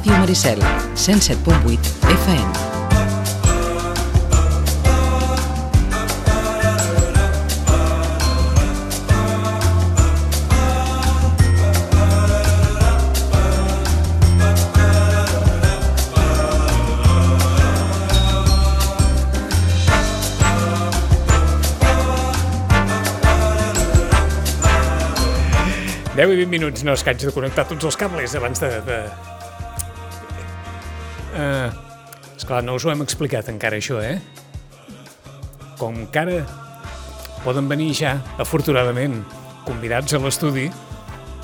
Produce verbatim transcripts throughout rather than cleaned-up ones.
Ràdio Maricel, cent set punt vuit F M. deu i vint minuts, no és que haig de connectar tots els cables abans de... de... Uh, esclar, no us ho hem explicat encara, això, eh? Com que ara poden venir ja, afortunadament, convidats a l'estudi,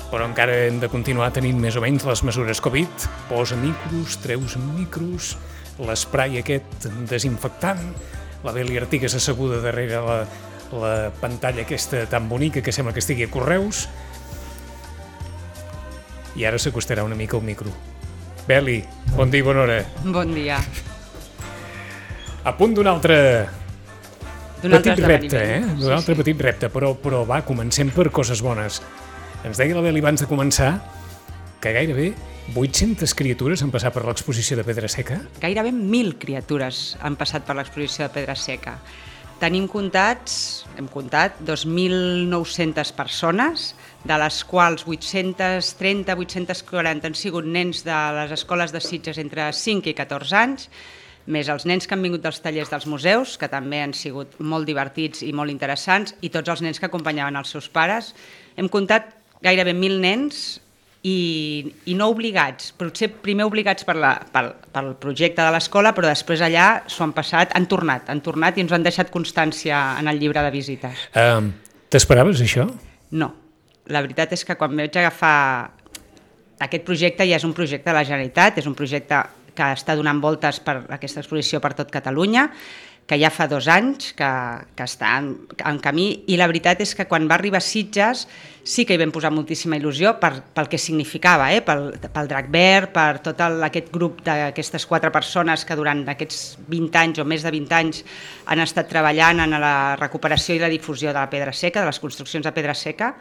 però encara hem de continuar tenint més o menys les mesures Covid, posa micros, treus micros, l'esprai aquest desinfectant, la Beli Artigas asseguda darrere la, la pantalla aquesta tan bonica que sembla que estigui a Correus, i ara s'acostarà una mica al micro. Beli, bon dia i bona hora. Bon dia. A punt d'un altre D'un petit altre repte, eh? esdeveniment. D'un altre Sí, sí. petit repte, però, però va, comencem per coses bones. Ens deia la Beli abans de començar que gairebé vuit-centes criatures han passat per l'exposició de Pedra Seca. Gairebé mil criatures han passat per l'exposició de Pedra Seca. Tenim comptats, hem comptat, dos mil nou-centes persones, de les quals vuit-cents trenta, vuit-cents quaranta han sigut nens de les escoles de Sitges entre cinc i catorze anys, més els nens que han vingut dels tallers dels museus, que també han sigut molt divertits i molt interessants, i tots els nens que acompanyaven els seus pares. Hem comptat gairebé mil nens i, i no obligats, potser primer obligats per la, pel, pel projecte de l'escola, però després allà s'ho han passat, han tornat, han tornat i ens han deixat constància en el llibre de visites. Uh, T'esperaves això? No, la veritat és que quan vaig agafar aquest projecte ja és un projecte de la Generalitat, és un projecte que està donant voltes per aquesta exposició per tot Catalunya, que ja fa dos anys que, que està en, en camí, i la veritat és que quan va arribar a Sitges sí que hi vam posar moltíssima il·lusió per, pel que significava, eh? pel, pel Drac Verd, per tot el, aquest grup d'aquestes quatre persones que durant aquests vint anys o més de vint anys han estat treballant en la recuperació i la difusió de la pedra seca, de les construccions de pedra seca,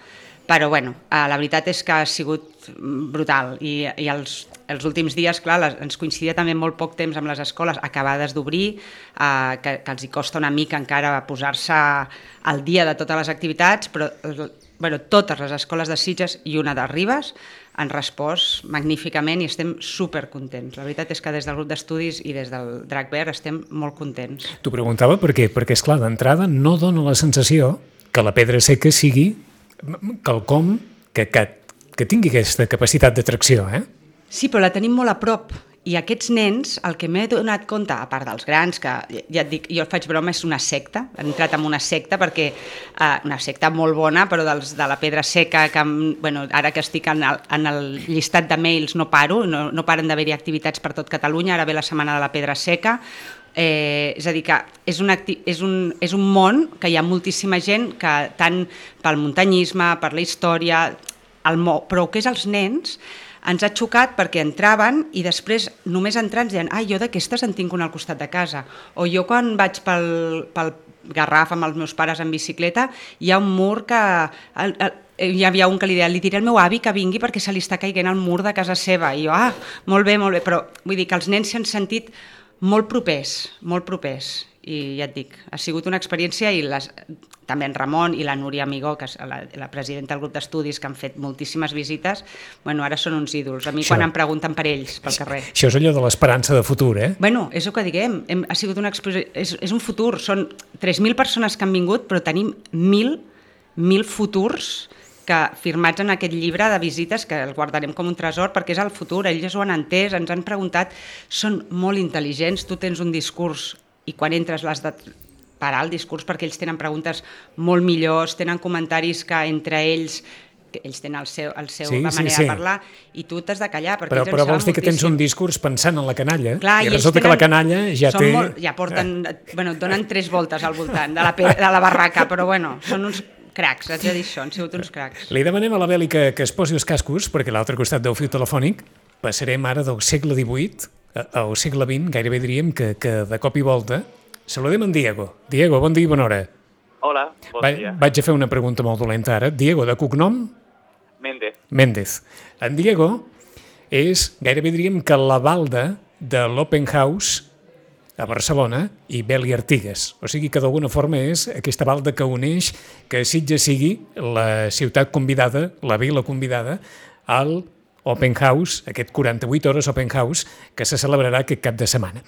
però bueno, la veritat és que ha sigut brutal i, i els, els últims dies, clar, les, ens coincidia també molt poc temps amb les escoles acabades d'obrir, eh, que, que els hi costa una mica encara posar-se al dia de totes les activitats, però bueno, totes les escoles de Sitges i una de Ribes han respost magníficament i estem supercontents. La veritat és que des del grup d'estudis i des del Drac Verd estem molt contents. T'ho preguntava per què? Perquè, esclar, d'entrada no dona la sensació que la pedra seca sigui quelcom que, que, que tingui aquesta capacitat d'atracció, eh? Sí, però la tenim molt a prop. I aquests nens, el que m'he donat compte, a part dels grans, que ja et dic, jo faig broma, és una secta, han entrat en una secta perquè, eh, una secta molt bona, però dels, de la pedra seca, que bueno, ara que estic en el, en el llistat de mails no paro, no, no paren d'haver-hi activitats per tot Catalunya, ara ve la setmana de la pedra seca, eh, és a dir que és un, acti és, un, és un món que hi ha moltíssima gent que tant pel muntanyisme, per la història, el mo però que és els nens, ens ha xocat perquè entraven i després només entrant deien ah, jo d'aquestes en tinc una al costat de casa, o jo quan vaig pel, pel Garraf amb els meus pares en bicicleta hi ha un mur que el, el, hi havia un que li deia, li diré al meu avi que vingui perquè se li està caiguent el mur de casa seva, i jo, ah, molt bé, molt bé, però vull dir que els nens s'han sentit molt propers, molt propers, i ja et dic, ha sigut una experiència, i les, també en Ramon i la Núria Amigó, que és la, la presidenta del grup d'estudis, que han fet moltíssimes visites, bueno, ara són uns ídols. A mi això, quan em pregunten per ells, pel carrer. Això és allò de l'esperança de futur, eh? Bueno, és el que diguem, hem, ha sigut una exposició, és, és un futur, són tres mil persones que han vingut, però tenim mil, mil futurs que firmats en aquest llibre de visites, que el guardarem com un tresor, perquè és el futur, ells ho han entès, ens han preguntat, són molt intel·ligents, tu tens un discurs i quan entres l'has de parar el discurs perquè ells tenen preguntes molt millors, tenen comentaris que entre ells, que ells tenen el seu, el seu sí, la manera sí, sí. de parlar, i tu t'has de callar perquè però, ells però en vols dir que tens moltíssim. un discurs pensant en la canalla. Clar, i, i resulta tenen, que la canalla ja té... Molt, ja porten, bueno, donen tres voltes al voltant de la, de la barraca, però bueno, són uns cracs, haig de dir això, han sigut uns cracs. Li demanem a la Beli que, que es posi els cascos, perquè a l'altre costat del fil telefònic passarem ara del segle divuit al segle vint, gairebé diríem que, que de cop i volta. Saludem en Diego. Diego, bon dia i bona hora. Hola, bon Va, dia. Vaig a fer una pregunta molt dolenta ara. Diego, de cognom? Méndez. Méndez. En Diego és gairebé diríem que la balda de l'Open House a Barcelona i Bel i Artigues. O sigui que d'alguna forma és aquesta balda que uneix que Sitges sigui la ciutat convidada, la vila convidada, al Open House, aquest quaranta-vuit hores Open House, que se celebrarà aquest cap de setmana.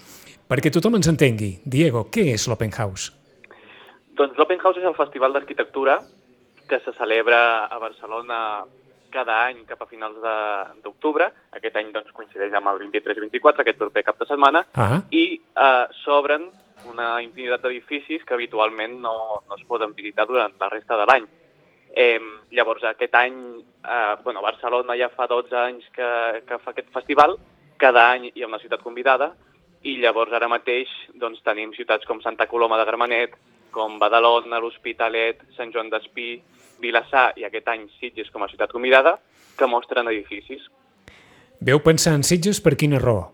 Perquè tothom ens entengui, Diego, què és l'Open House? Doncs l'Open House és el festival d'arquitectura que se celebra a Barcelona cada any cap a finals d'octubre. Aquest any doncs, coincideix amb el vint-i-tres i vint-i-quatre, aquest proper cap de setmana, ah. i eh, s'obren una infinitat d'edificis que habitualment no, no es poden visitar durant la resta de l'any. Eh, llavors, aquest any, eh, bueno, Barcelona ja fa dotze anys que, que fa aquest festival, cada any hi ha una ciutat convidada, i llavors ara mateix doncs, tenim ciutats com Santa Coloma de Gramenet, com Badalona, l'Hospitalet, Sant Joan d'Espí, Vilassar i aquest any Sitges com a ciutat convidada, que mostren edificis. Veu pensar en Sitges per quina raó?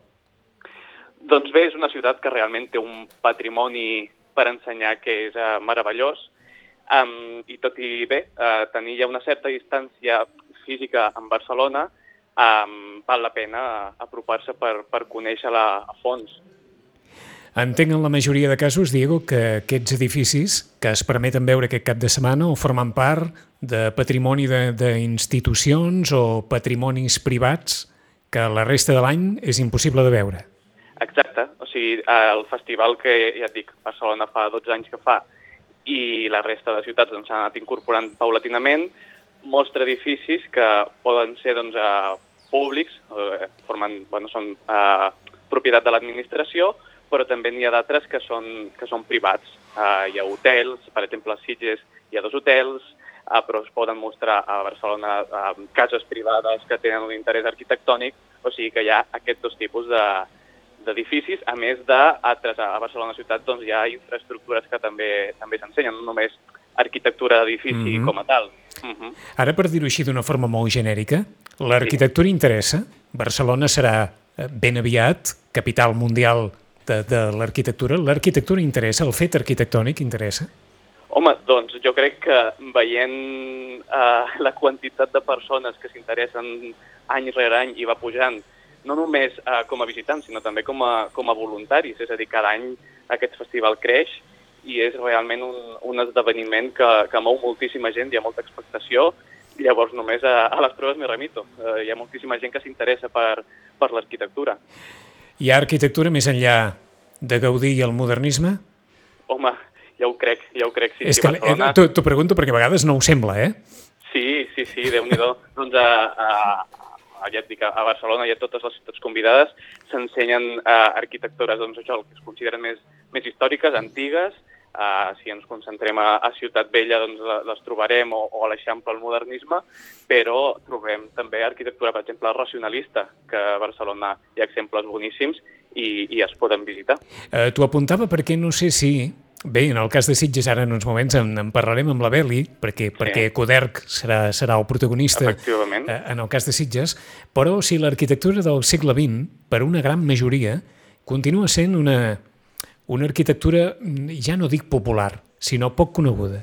Doncs bé, és una ciutat que realment té un patrimoni per ensenyar que és uh, meravellós, um, i tot i bé, uh, tenir ja una certa distància física amb Barcelona, um, val la pena apropar-se per, per conèixer-la a fons. Entenc en la majoria de casos, Diego, que aquests edificis que es permeten veure aquest cap de setmana o formen part de patrimoni d'institucions o patrimonis privats que la resta de l'any és impossible de veure. Exacte. O sigui, el festival que, ja et dic, Barcelona fa dotze anys que fa i la resta de ciutats doncs, s'han anat incorporant paulatinament, mostra edificis que poden ser doncs, públics, eh, formen, bueno, són eh, propietat de l'administració, però també n'hi ha d'altres que són, que són privats. Uh, hi ha hotels, per exemple, a Sitges hi ha dos hotels, uh, però es poden mostrar a Barcelona uh, cases privades que tenen un interès arquitectònic, o sigui que hi ha aquests dos tipus d'edificis, a més d'altres. A Barcelona ciutat doncs, hi ha infraestructures que també també s'ensenyen, no només arquitectura d'edifici mm-hmm. com a tal. Mm-hmm. Ara, per dir-ho així d'una forma molt genèrica, l'arquitectura sí. interessa? Barcelona serà ben aviat capital mundial de, de l'arquitectura. L'arquitectura interessa? El fet arquitectònic interessa? Home, doncs jo crec que veient eh, la quantitat de persones que s'interessen any rere any i va pujant, no només eh, com a visitants, sinó també com a, com a voluntaris. És a dir, cada any aquest festival creix i és realment un, un esdeveniment que, que mou moltíssima gent, hi ha molta expectació. Llavors només a, a les proves m'hi remito. Eh, hi ha moltíssima gent que s'interessa per, per l'arquitectura. Hi ha arquitectura més enllà de Gaudí i el modernisme? Home, ja ho crec, ja ho crec. Sí, és sí, que Barcelona... eh, t'ho pregunto perquè a vegades no ho sembla, eh? Sí, sí, sí, Déu-n'hi-do. Doncs a, a, a, ja et dic, a Barcelona i a totes les ciutats convidades s'ensenyen uh, arquitectures, doncs això, el que es consideren més, més històriques, antigues. Uh, si ens concentrem a, a Ciutat Vella, doncs les trobarem, o, o a l'Eixample, el modernisme, però trobem també arquitectura, per exemple, racionalista, que a Barcelona hi ha exemples boníssims i, i es poden visitar. Uh, T'ho apuntava perquè no sé si... Bé, en el cas de Sitges ara en uns moments en, en parlarem amb la Beli, perquè, sí. perquè Coderch serà, serà el protagonista uh, en el cas de Sitges, però si l'arquitectura del segle vint, per una gran majoria, continua sent una... una arquitectura, ja no dic popular, sinó poc coneguda.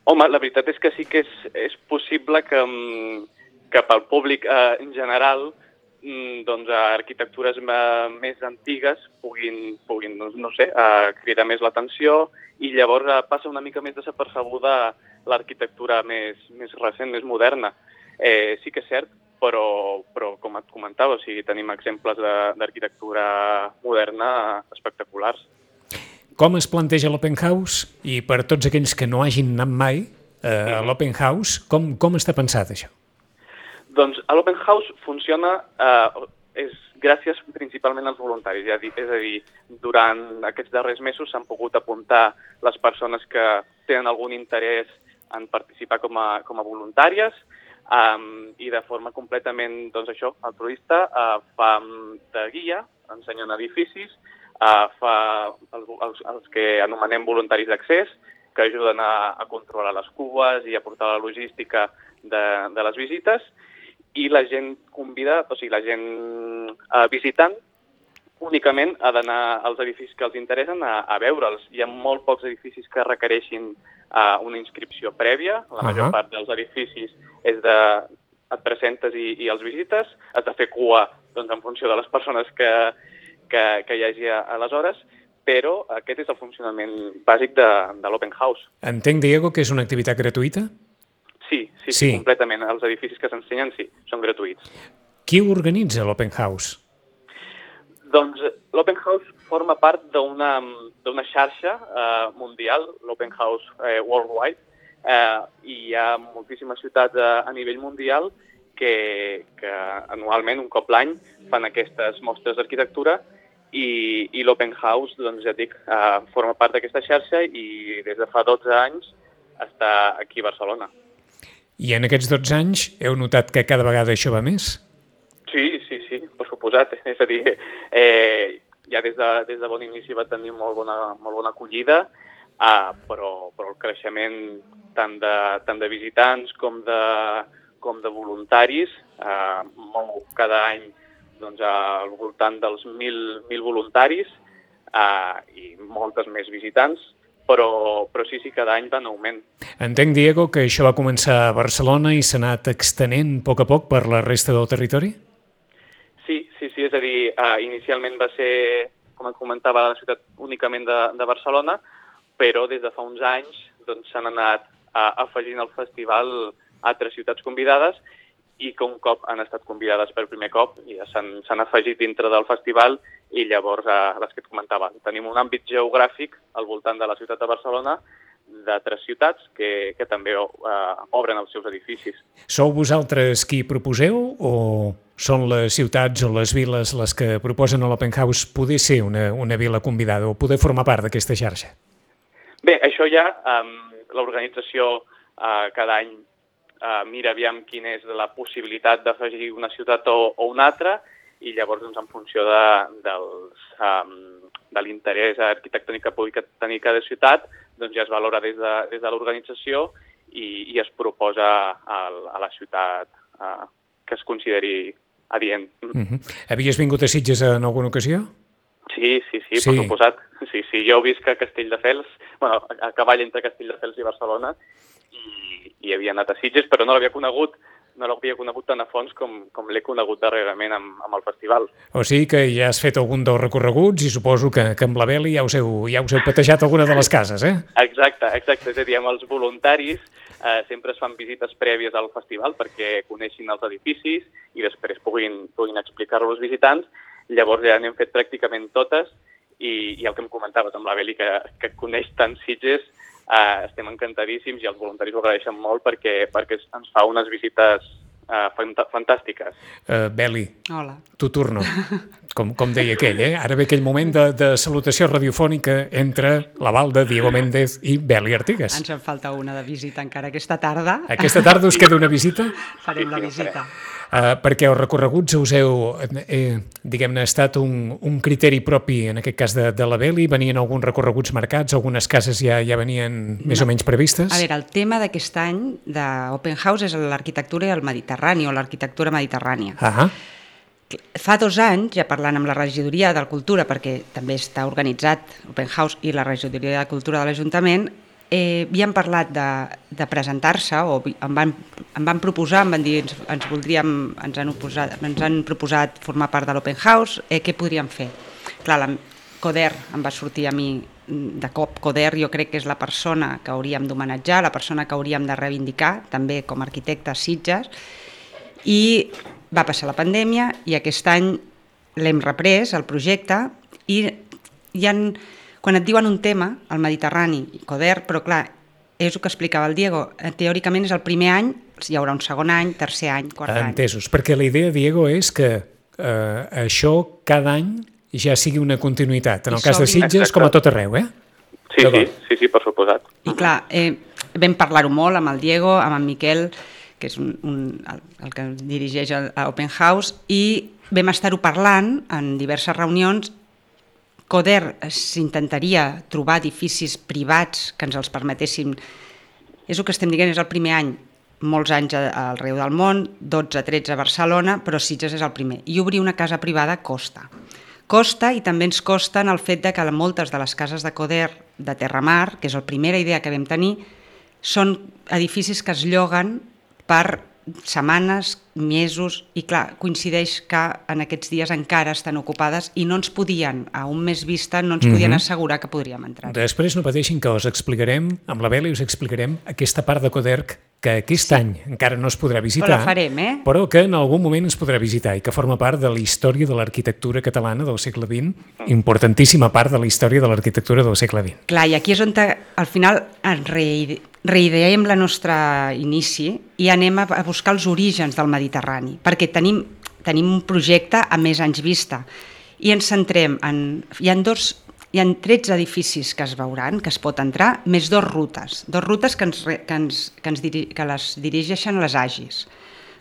Home, la veritat és que sí que és, és possible que, que pel públic eh, en general doncs, arquitectures més antigues puguin, puguin doncs, no sé, eh, cridar més l'atenció i llavors eh, passa una mica més desapercebuda l'arquitectura més, més recent, més moderna. Eh, sí que és cert, però, però com et comentava, o sigui, tenim exemples d'arquitectura moderna espectaculars. Com es planteja l'Open House? I per tots aquells que no hagin anat mai eh, a l'Open House, com, com està pensat això? Doncs l'Open House funciona, eh, és gràcies principalment als voluntaris, és a dir, és a dir durant aquests darrers mesos s'han pogut apuntar les persones que tenen algun interès en participar com a, com a voluntàries, Um, i de forma completament, doncs això, altruista, uh, fa de guia, ensenyen edificis, uh, fa els, els, els que anomenem voluntaris d'accés, que ajuden a, a controlar les cues i a portar la logística de, de les visites, i la gent convida, o sigui, la gent uh, visitant, únicament ha d'anar als edificis que els interessen a, a veure'ls. Hi ha molt pocs edificis que requereixin uh, una inscripció prèvia. La major uh-huh. part dels edificis és de et presentes i, i els visites, has de fer cua doncs, en funció de les persones que, que, que hi hagi aleshores, però aquest és el funcionament bàsic de, de l'Open House. Entenc, Diego, que és una activitat gratuïta? Sí, sí, sí, sí. completament. Els edificis que s'ensenyen, sí, són gratuïts. Qui organitza l'Open House? Doncs l'Open House forma part d'una d'una xarxa eh, mundial, l'Open House eh, Worldwide, eh, i hi ha moltíssimes ciutats a, a nivell mundial que, que anualment, un cop l'any, fan aquestes mostres d'arquitectura i, i l'Open House, doncs ja et dic, eh, forma part d'aquesta xarxa i des de fa dotze anys està aquí a Barcelona. I en aquests dotze anys heu notat que cada vegada això va més? Sí, sí, sí, per suposat. És a dir, eh, ja des de, des de bon inici va tenir molt bona, molt bona acollida, eh, però, però el creixement tant de, tant de visitants com de, com de voluntaris, eh, mou cada any doncs, al voltant dels mil, mil voluntaris eh, i moltes més visitants, però, però sí, sí, cada any va en augment. Entenc, Diego, que això va començar a Barcelona i s'ha anat extenent a poc a poc per la resta del territori? Sí, sí, sí, és a dir, uh, inicialment va ser, com et comentava, la ciutat únicament de, de Barcelona, però des de fa uns anys doncs, s'han anat uh, afegint al festival altres ciutats convidades i que un cop han estat convidades per primer cop ja s'han afegit dintre del festival i llavors, uh, les que et comentava, tenim un àmbit geogràfic al voltant de la ciutat de Barcelona d'altres ciutats que, que també uh, obren els seus edificis. Sou vosaltres qui proposeu o són les ciutats o les viles les que proposen a l'Open House poder ser una, una vila convidada o poder formar part d'aquesta xarxa? Bé, això ja, um, l'organització uh, cada any uh, mira aviam quina és la possibilitat d'afegir una ciutat o, o una altra i llavors doncs, en funció de, dels, um, de l'interès arquitectònic que pugui tenir cada ciutat, doncs ja es valora des de, des de l'organització i, i es proposa a, a la ciutat uh, que es consideri adient. Uh-huh. Havies vingut a Sitges en alguna ocasió? Sí, sí, sí, sí, per suposat. Sí, sí, jo visc a Castelldefels, bueno, a cavall entre Castelldefels i Barcelona, i, i havia anat a Sitges, però no l'havia conegut, no l'havia conegut tan a fons com, com l'he conegut darrerament amb, amb el festival. O sigui que ja has fet algun dels recorreguts i suposo que, que amb la Beli ja us, heu, ja us heu patejat alguna de les cases, eh? Exacte, exacte. És a dir, amb els voluntaris eh, sempre es fan visites prèvies al festival perquè coneixin els edificis i després puguin, puguin explicar-lo als visitants. Llavors ja n'hem fet pràcticament totes i, i el que em comentaves amb la Beli, que, que coneix tant Sitges, Uh, estem encantadíssims i els voluntaris ho agraeixen molt perquè, perquè ens fa unes visites uh, fant fantàstiques. Uh, Beli, hola. Tu turno, com, com deia aquell, eh? Ara ve aquell moment de, de salutació radiofònica entre l'aval de Diego Méndez i Beli Artigas. Ens en falta una de visita encara aquesta tarda. Aquesta tarda us queda una visita? Farem la visita. Uh, perquè els recorreguts us heu, eh, diguem-ne, estat un, un criteri propi, en aquest cas de, de la Beli? Venien alguns recorreguts marcats? Algunes cases ja, ja venien més no. o menys previstes? A veure, el tema d'aquest any d'Open House és l'arquitectura i el Mediterrani, o l'arquitectura mediterrània. Ah. Fa dos anys, ja parlant amb la regidoria de Cultura, perquè també està organitzat Open House i la regidoria de Cultura de l'Ajuntament, Eh, havíem parlat de, de presentar-se, o em van, em van proposar, em van dir, ens, ens voldríem, ens han, oposat, ens han proposat formar part de l'Open House, eh, què podríem fer? Clar, la Coder em va sortir a mi de cop. Coder jo crec que és la persona que hauríem d'homenatjar, la persona que hauríem de reivindicar, també com a arquitecte a Sitges, i va passar la pandèmia i aquest any l'hem reprès, el projecte, i hi ha... Quan et diuen un tema, el Mediterrani, Coder, però clar, és el que explicava el Diego, teòricament és el primer any, hi haurà un segon any, tercer any, quart any. Entesos, perquè la idea, Diego, és que eh, això cada any ja sigui una continuïtat, en el cas de Sitges Exacte. Com a tot arreu, eh? Sí, sí, sí, sí, per suposat. I clar, eh, vam parlar-ho molt amb el Diego, amb en Miquel, que és un, un, el, el que dirigeix a Open House, i vam estar-ho parlant en diverses reunions. Coder s'intentaria trobar edificis privats que ens els permetessin. És el que estem dient, és el primer any, molts anys arreu del món, dotze tretze a Barcelona, però Sitges és el primer. I obrir una casa privada costa. Costa i també ens costa en el fet de que moltes de les cases de Coder de Terramar, que és la primera idea que vam tenir, són edificis que es lloguen per setmanes, mesos, i clar, coincideix que en aquests dies encara estan ocupades i no ens podien, a un mes vista, no ens podien mm-hmm. assegurar que podríem entrar. Després no pateixin que us explicarem, amb la Beli us explicarem aquesta part de Coderc que aquest sí. any encara no es podrà visitar, però la farem, eh? però que en algun moment es podrà visitar i que forma part de la història de l'arquitectura catalana del segle vint, importantíssima part de la història de l'arquitectura del segle vint. Clar, i aquí és on al final ens reideem la nostra inici i anem a buscar els orígens del Mediterrani, perquè tenim, tenim un projecte a més anys vista i ens centrem en... Hi ha dos... Hi ha tretze edificis que es veuran, que es pot entrar, més dos rutes. Dos rutes que, ens, que, ens, que, ens diri, que les dirigeixen les A G I S.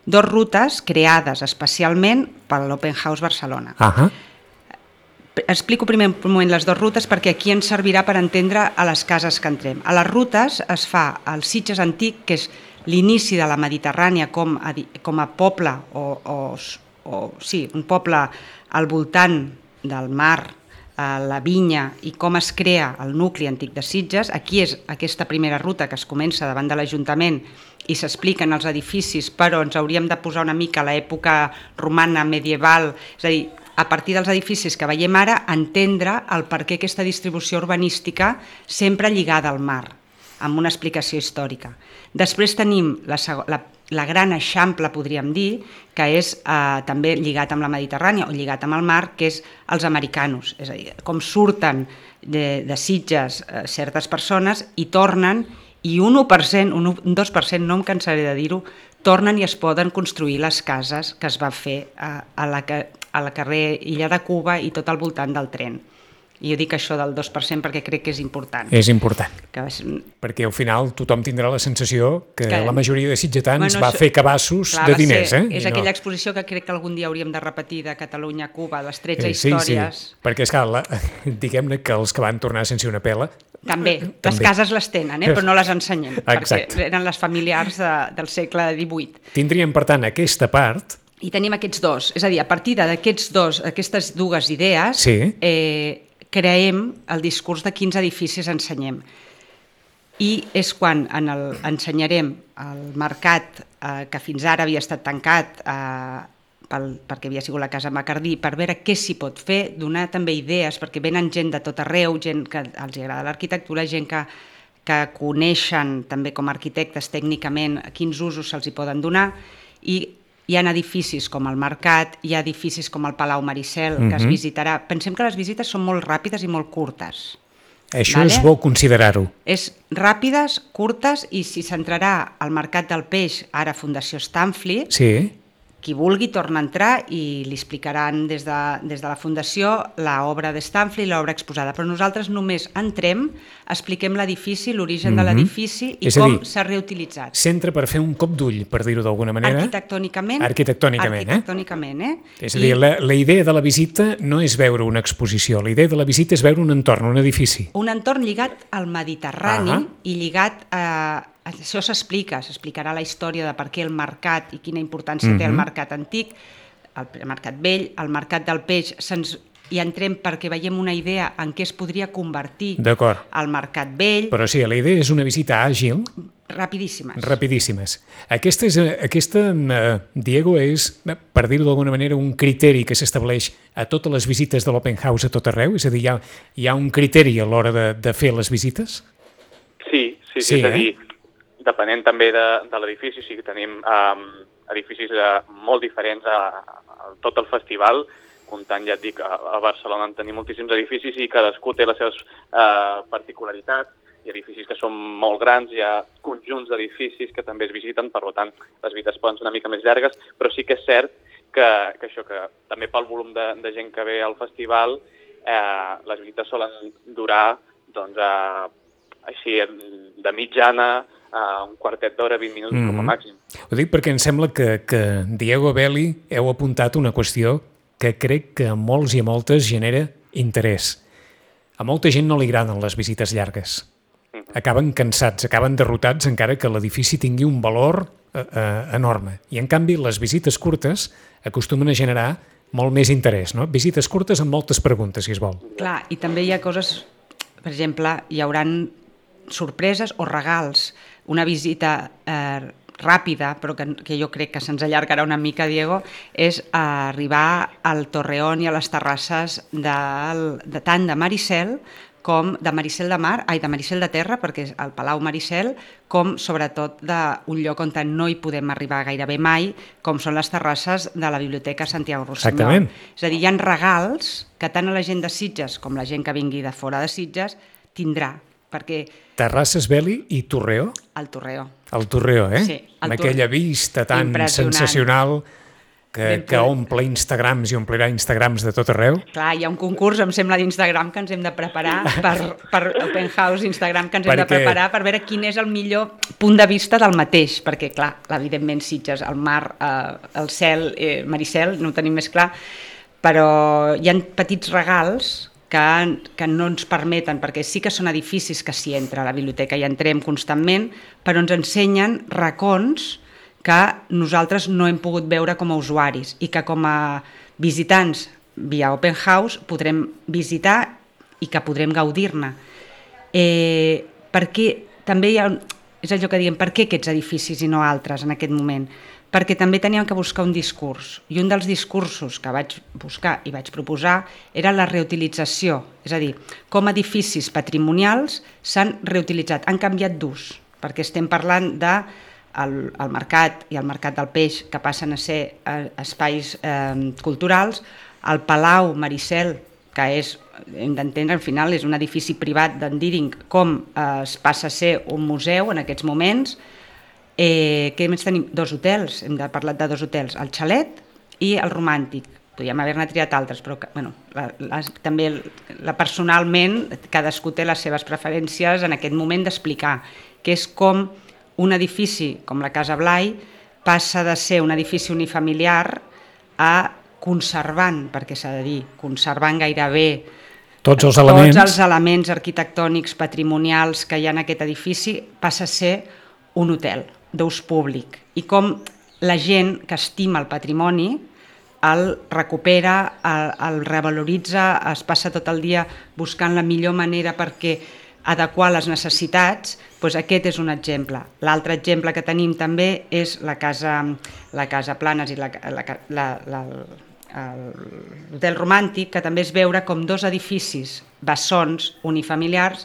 Dos rutes creades especialment per l'Open House Barcelona. Uh-huh. Explico primer un moment les dues rutes perquè aquí ens servirà per entendre a les cases que entrem. A les rutes es fa el Sitges Antic, que és l'inici de la Mediterrània com a, com a poble, o, o, o sí, un poble al voltant del mar, la vinya i com es crea el nucli antic de Sitges. Aquí és aquesta primera ruta que es comença davant de l'Ajuntament i s'expliquen els edificis, però ens hauríem de posar una mica a l'època romana, medieval, és a dir, a partir dels edificis que veiem ara, entendre el per què aquesta distribució urbanística sempre lligada al mar, amb una explicació històrica. Després tenim la, la, la gran eixample, podríem dir, que és eh, també lligat amb la Mediterrània o lligat amb el mar, que és els americanos, és a dir, com surten de, de Sitges eh, certes persones i tornen, i un u per cent, un dos per cent, no em cansaré de dir-ho, tornen i es poden construir les cases que es va fer a, a, la, a la carrer Illa de Cuba i tot al voltant del tren. I jo dic això del dos per cent perquè crec que és important. És important, que és... perquè al final tothom tindrà la sensació que, que... la majoria de sitgetans bueno, va això... fer cabassos clar, de diners. Ser, eh? És I aquella no... exposició que crec que algun dia hauríem de repetir de Catalunya a Cuba, les tretze eh, sí, històries. Sí, perquè és clar, diguem-ne que els que van tornar sense una pela... També, les també. Cases les tenen, eh? Però no les ensenyem, Exacte. Perquè eren les familiars de, del segle divuit. Tindríem, per tant, aquesta part... I tenim aquests dos, és a dir, a partir d'aquests dos, aquestes dues idees... Sí. Eh, creem el discurs de quins edificis ensenyem. I és quan en el, ensenyarem el mercat eh, que fins ara havia estat tancat eh, pel, perquè havia sigut la Casa Macardí, per veure què s'hi pot fer, donar també idees, perquè venen gent de tot arreu, gent que els agrada l'arquitectura, gent que, que coneixen també com a arquitectes tècnicament quins usos se'ls hi poden donar, i hi ha edificis com el Mercat, hi ha edificis com el Palau Maricel, que uh-huh. es visitarà. Pensem que les visites són molt ràpides i molt curtes. Això vale? És bo considerar-ho. És ràpides, curtes, i si s'entrarà al Mercat del Peix, ara Fundació Stanfli, sí. qui vulgui torna a entrar i li explicaran des de, des de la Fundació l'obra de Stanfli i l'obra exposada. Però nosaltres només entrem, expliquem l'edifici, l'origen mm-hmm. de l'edifici i com s'ha reutilitzat. S'entra per fer un cop d'ull, per dir-ho d'alguna manera. Arquitectònicament. Arquitectònicament, eh? Arquitectònicament, eh? És a dir, I... la, la idea de la visita no és veure una exposició, la idea de la visita és veure un entorn, un edifici. Un entorn lligat al Mediterrani uh-huh. i lligat a... Això s'explica, s'explicarà la història de per què el mercat i quina importància uh-huh. té el mercat antic, el mercat vell, el mercat del peix, se'ns hi entrem perquè veiem una idea en què es podria convertir el mercat vell. Però sí, la idea és una visita àgil. Rapidíssimes. Rapidíssimes. Aquesta, és, aquesta Diego, és, per dir-ho d'alguna manera, un criteri que s'estableix a totes les visites de l'Open House a tot arreu? És a dir, hi ha, hi ha un criteri a l'hora de, de fer les visites? Sí, sí, sí, sí és a dir, eh? Depenent també de, de l'edifici, o sigui, tenim um, edificis uh, molt diferents a, a tot el festival, comptant, ja et dic, a, a Barcelona en tenim moltíssims edificis i cadascú té les seves uh, particularitats, hi ha edificis que són molt grans, hi ha conjunts d'edificis que també es visiten, per tant, les visites poden ser una mica més llargues, però sí que és cert que, que això, que també pel volum de, de gent que ve al festival, eh, les visites solen durar, doncs, eh, així, de mitjana, Uh, un quartet d'hora, vint minuts mm-hmm. com a màxim. Ho dic perquè em sembla que, que Diego Belli heu apuntat una qüestió que crec que a molts i a moltes genera interès. A molta gent no li agraden les visites llargues. Mm-hmm. Acaben cansats, acaben derrotats encara que l'edifici tingui un valor uh, uh, enorme. I en canvi les visites curtes acostumen a generar molt més interès, no? Visites curtes amb moltes preguntes, si es vol. Clar, i també hi ha coses, per exemple, hi hauran sorpreses o regals. Una visita eh, ràpida, però que, que jo crec que se'ns allargarà una mica, Diego, és arribar al Torreón i a les terrasses del, de, tant de Maricel com de Maricel de Mar, ai, de Maricel de Terra, perquè és el Palau Maricel, com sobretot d'un lloc on no hi podem arribar gairebé mai, com són les terrasses de la Biblioteca Santiago Rossinyol. Exactament. És a dir, hi ha regals que tant a la gent de Sitges com la gent que vingui de fora de Sitges tindrà, perquè... Terrasses, Beli i Torreó? El Torreó. El Torreó, eh? Sí. Amb aquella vista tan sensacional que, que omple Instagrams i omplirà Instagrams de tot arreu. Clar, hi ha un concurs, em sembla, d'Instagram que ens hem de preparar per, per Open House Instagram, que ens hem perquè... de preparar per veure quin és el millor punt de vista del mateix, perquè, clar, evidentment Sitges, el mar, eh, el cel, eh, Maricel, no ho tenim més clar, però hi ha petits regals que, que no ens permeten, perquè sí que són edificis que s'hi entra a la biblioteca i entrem constantment, però ens ensenyen racons que nosaltres no hem pogut veure com a usuaris i que com a visitants via Open House podrem visitar i que podrem gaudir-ne. Eh, perquè també hi ha, és allò que diem, per què aquests edificis i no altres en aquest moment? Perquè també teníem que buscar un discurs, i un dels discursos que vaig buscar i vaig proposar era la reutilització, és a dir, com edificis patrimonials s'han reutilitzat, han canviat d'ús, perquè estem parlant de el, el mercat i el mercat del peix que passen a ser eh, espais eh, culturals, el Palau Maricel, que és, hem d'entendre, al final és un edifici privat d'Endíring, com eh, es passa a ser un museu en aquests moments. Eh, què més tenim? Dos hotels, hem de parlar de dos hotels, el Xalet i el Romàntic. Podríem haver-ne triat altres, però bueno, la, la, també la, personalment cadascú té les seves preferències en aquest moment d'explicar, que és com un edifici com la Casa Blai passa de ser un edifici unifamiliar a conservant, perquè s'ha de dir, conservant gairebé tots els elements, tots els elements arquitectònics, patrimonials que hi ha en aquest edifici, passa a ser un hotel d'ús públic. I com la gent que estima el patrimoni el recupera, el, el revaloritza, es passa tot el dia buscant la millor manera perquè adequar les necessitats, doncs aquest és un exemple. L'altre exemple que tenim també és la Casa, la casa Planes i la, la, la, la, l'Hotel Romàntic, que també és veure com dos edificis bessons unifamiliars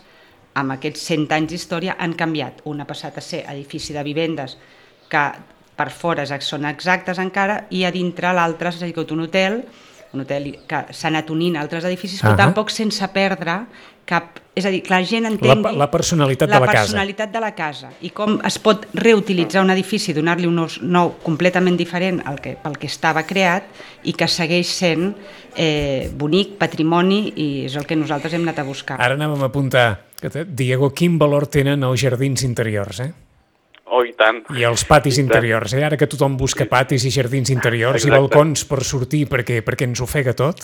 amb aquests cent anys d'història han canviat. Un ha passat a ser edifici de vivendes que per fora són exactes encara i a dintre l'altre ha sigut un hotel, un hotel que s'ha anat unint a altres edificis, però uh-huh. tampoc sense perdre cap... És a dir, que la gent entengui... La, la personalitat la de la casa. La personalitat de la casa i com es pot reutilitzar un edifici, donar-li un ús nou completament diferent al que, pel que estava creat i que segueix sent eh, bonic, patrimoni, i és el que nosaltres hem anat a buscar. Ara anàvem a apuntar, Diego, quin valor tenen els jardins interiors, eh? Oh, i tant. I els patis interiors, eh? Ara que tothom busca patis i jardins interiors Exacte. I balcons per sortir perquè, perquè ens ofega tot,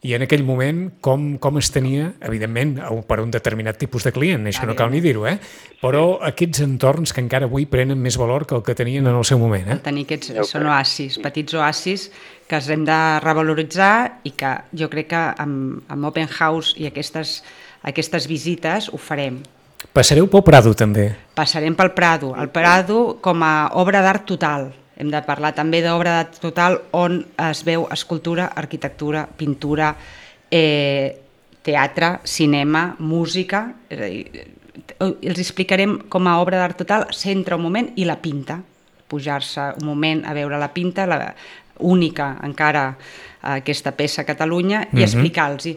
i en aquell moment com, com es tenia, evidentment, per un determinat tipus de client, això no cal ni dir-ho, eh? Però aquests entorns que encara avui prenen més valor que el que tenien en el seu moment. Eh? Tenir aquests, són oasis, petits oasis que els hem de revaloritzar i que jo crec que amb, amb Open House i aquestes, aquestes visites ho farem. Passareu pel Prado, també. Passarem pel Prado. El Prado com a obra d'art total. Hem de parlar també d'obra d'art total on es veu escultura, arquitectura, pintura, eh, teatre, cinema, música. És a dir, els explicarem com a obra d'art total, s'entra un moment i la pinta. Pujar-se un moment a veure la pinta, la única encara aquesta peça a Catalunya, i mm-hmm. explicar-los